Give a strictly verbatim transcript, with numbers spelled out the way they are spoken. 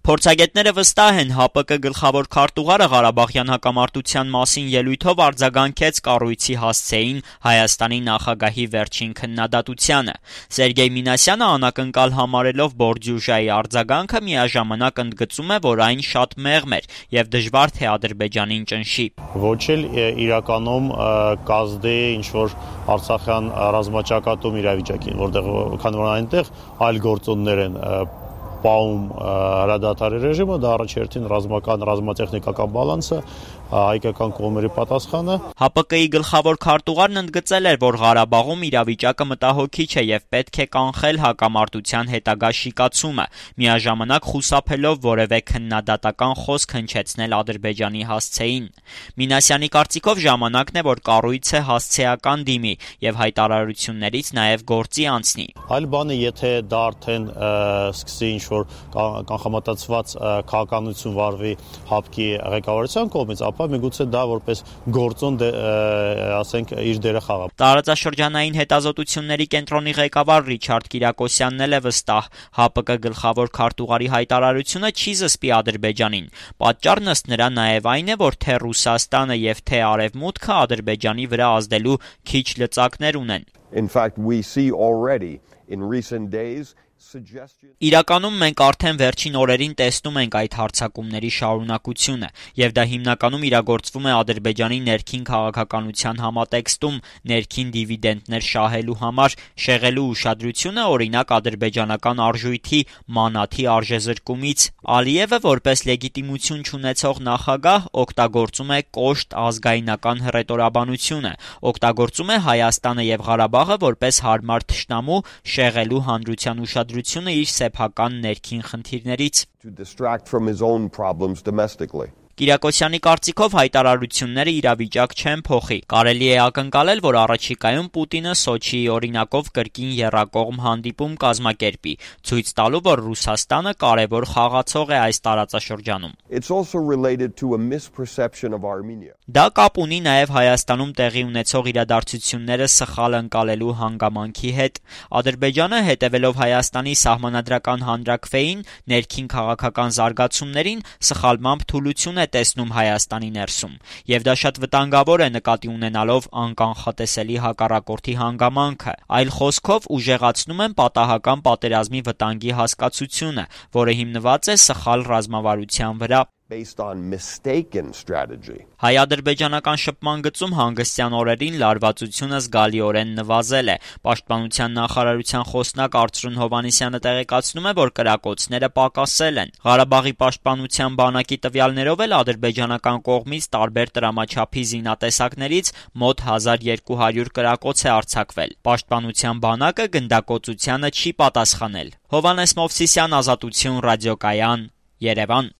Փորձագետները վստահ են, ՀԱՊԿ գլխավոր քարտուղարը Ղարաբաղյան հակամարտության մասին ելույթով արձագանքեց կառույցի հասցեին Հայաստանի նախագահի վերջին քննադատությանը։ Սերգեյ Մինասյանը անակնկալ համարելով Բորդյուժայի արձագանքը միաժամանակ ընդգծում է, որ այն շատ մեղմ էր եւ դժվար թե Ադրբեջանին ճնշի։ Ոչ էլ իրականում կազդի ինչ-որ արցախյան ռազմաճակատում իրավիճակին, որտեղ քանի որ այնտեղ այլ գործոններ են պահում հրադադարի ռեժիմը, դա առաջերտին ռազմական, ռազմատեխնիկական բալանսը, հայկական կողմերի պատասխանը։ ՀԱՊԿ-ի գլխավոր քարտուղարն ընդգծել էր, որ Ղարաբաղում իրավիճակը մտահոգիչ է եւ պետք է կանխել հակամարտության հետագա շիկացումը, միաժամանակ խուսափելով որևէ քննադատական խոսք հնչեցնել Ադրբեջանի հասցեին։ Մինասյանի կարծիքով ժամանակն է, որ կառույցը հասցեական դիմի եւ հայտարարություններից նաեւ գործի անցնի։ Այլ բան է, եթե դա արդեն սկսի ինչ-որ կանխամտածված քաղաքականություն վարվի ՀԱՊԿ-ի ղեկավարության կողմից, ապա միգուցե դա որպես գործոն ասենք իր դերը խաղա։ Տարածաշրջանային հետազոտությունների կենտրոնի ղեկավար Ռիչարդ Կիրակոսյանն էլ է վստահ, ՀԱՊԿ գլխավոր քարտուղարի հայտարարությունը չի զսպի Ադրբեջանին։ Պատճառն ըստ նրա նաեւ այն է, որ թե Ռուսաստանը եւ թե Արևմուտքը Ադրբեջանի վրա ազդելու քիչ լծակներ ունեն։ In fact, we see already in recent days Իրականում մենք արդեն վերջին օրերին տեսնում ենք այդ հարձակումների շարունակությունը, եւ դա հիմնականում իրագործվում է Ադրբեջանի ներքին քաղաքականության համատեքստում ներքին դիվիդենտներ շահելու համար, շեղելու ուշադրությունը օրինակ ադրբեջանական արժույթի մանաթի արժեզրկումից։ Ալիևը որպես լեգիտիմություն չունեցող նախագահ օգտագործում է կոշտ ազգայնական հռետորաբանությունը, օգտագործում է Հայաստանը եւ Ղարաբաղը որպես հարմար թշնամու շեղելու հանրության ուշադրությունը իր սեփական ներքին խնդիրներից։ Կիրակոսյանի կարծիքով հայտարարությունները իրավիճակ չեն փոխի։ Կարելի է ակնկալել, որ առաջիկայում Պուտինը Սոչիի օրինակով կրկին եռակողմ հանդիպում կազմակերպի, ցույց տալու, որ Ռուսաստանը կարևոր խաղացող է այս տարածաշրջանում։ Դա կապ ունի նաև Հայաստանում տեղի ունեցող իրադարձությունները սխալ ընկալելու հանգամանքի հետ։ Ադրբեջանը, հետևելով Հայաստանի սահմանադրական հանրաքվեին, ներքին քաղաքական զարգացումներին սխալմամբ թուլություն է տեսնում Հայաստանի ներսում, եւ դա շատ վտանգավոր է նկատի ունենալով անկանխատեսելի հակառակորդի հանգամանքը, այլ խոսքով ուժեղացնում են պատահական պատերազմի վտանգի հասկացությունը, որը հիմնված է սխալ ռազմավարության վրա։ Based on mistaken strategy. Հայ-ադրբեջանական շփման գծում հանգստյան օրերին լարվածությունը զգալիորեն նվազել է։ Պաշտպանության նախարարության խոսնակ Արծրուն Հովհաննիսյանը տեղեկացնում է, որ կրակոցները պակասել են։ Ղարաբաղի պաշտպանության բանակի տվյալներով էլ ադրբեջանական կողմից տարբեր տրամաչափի զինատեսակներից մոտ հազար երկու հարյուր կրակոց է արձակվել։ Պաշտպանության բանակը գնդակոծությանը չի պատասխանել։ Հովհաննես Մովսիսյան, Ազատություն, ռադիոկայան, Երևան։